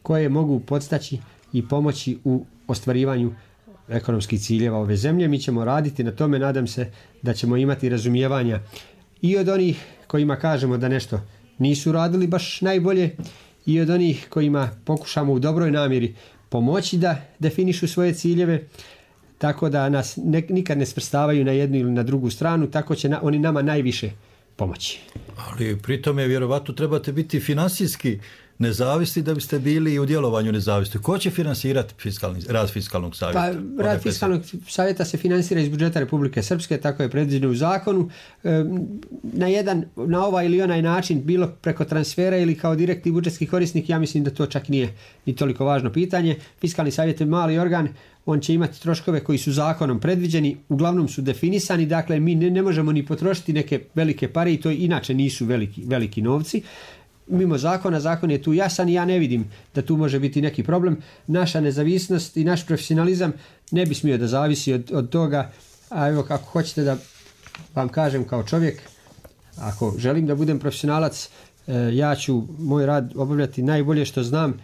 koje mogu podstaći i pomoći u ostvarivanju ekonomskih ciljeva ove zemlje. Mi ćemo raditi na tome, nadam se da ćemo imati razumijevanja i od onih kojima kažemo da nešto nisu radili baš najbolje i od onih kojima pokušamo u dobroj namjeri pomoći da definišu svoje ciljeve, tako da nas nikad ne svrstavaju na jednu ili na drugu stranu, tako će oni nama najviše pomoći. Ali pri tome vjerovatno trebate biti finansijski nezavisni da biste bili i u djelovanju nezavisni. Ko će finansirati rad fiskalnog savjeta? Pa, rad fiskalnog savjeta se finansira iz budžeta Republike Srpske, tako je predviđeno u zakonu. Na ovaj ili onaj način, bilo preko transfera ili kao direktni budžetski korisnik, ja mislim da to čak nije ni toliko važno pitanje. Fiskalni savjet je mali organ, on će imati troškove koji su zakonom predviđeni, uglavnom su definisani, dakle mi ne možemo ni potrošiti neke velike pare i to inače nisu veliki novci. Mimo zakona, zakon je tu jasan i ja ne vidim da tu može biti neki problem. Naša nezavisnost i naš profesionalizam ne bi smio da zavisi od toga, a evo kako hoćete da vam kažem kao čovjek, ako želim da budem profesionalac, ja ću moj rad obavljati najbolje što znam,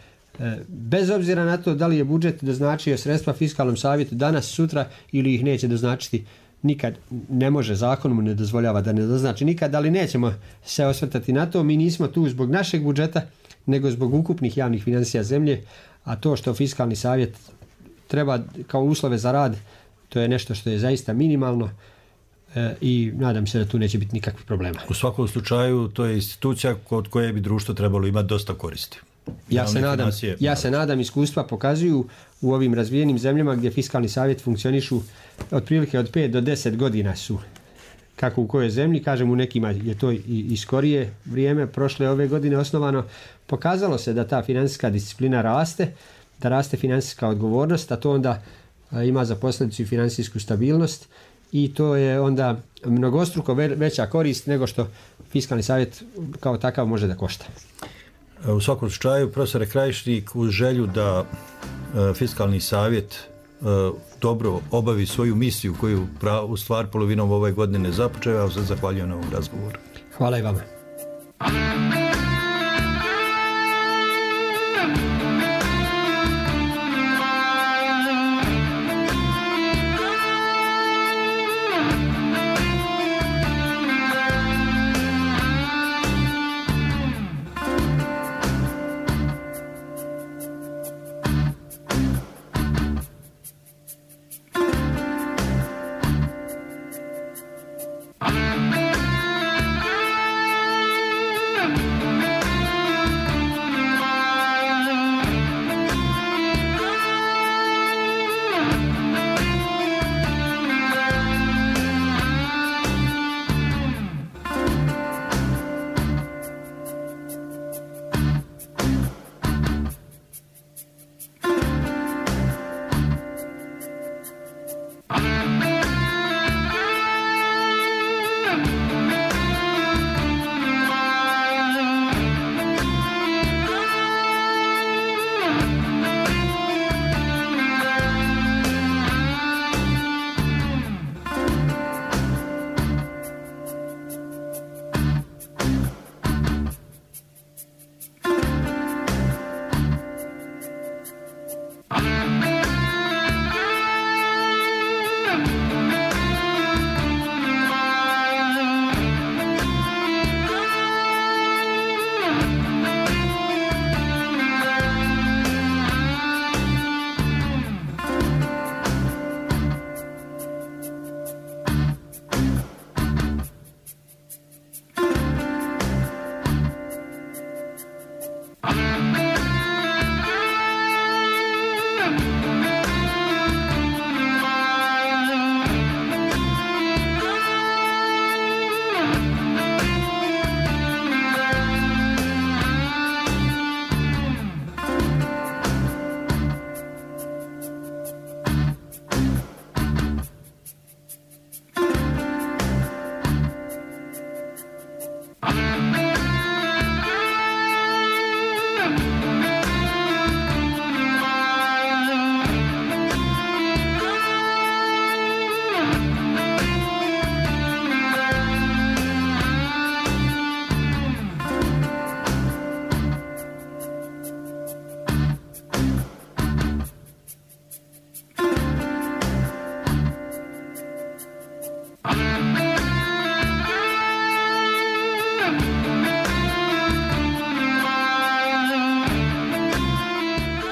bez obzira na to da li je budžet doznačio sredstva fiskalnom savjetu danas, sutra ili ih neće doznačiti. Nikad ne može, zakon mu ne dozvoljava da ne doznači nikad, ali nećemo se osvrtati na to. Mi nismo tu zbog našeg budžeta, nego zbog ukupnih javnih financija zemlje, a to što fiskalni savjet treba kao uslove za rad, to je nešto što je zaista minimalno i nadam se da tu neće biti nikakvih problema. U svakom slučaju to je institucija od koje bi društvo trebalo imati dosta koristi. Ja se nadam, iskustva pokazuju u ovim razvijenim zemljama gdje fiskalni savjet funkcionišu otprilike od 5 do 10 godina su, kako u kojoj zemlji, kažem u nekima je to i skorije vrijeme, prošle ove godine osnovano, pokazalo se da ta financijska disciplina raste, da raste financijska odgovornost, a to onda ima za posljedicu i financijsku stabilnost i to je onda mnogostruko veća korist nego što fiskalni savjet kao takav može da košta. U svakom slučaju, profesore Krajišnik, uz želju da fiskalni savjet dobro obavi svoju misiju koju u stvar polovinom ove godine započeo, ja vam se zahvaljujem na ovom razgovoru. Hvala i vama.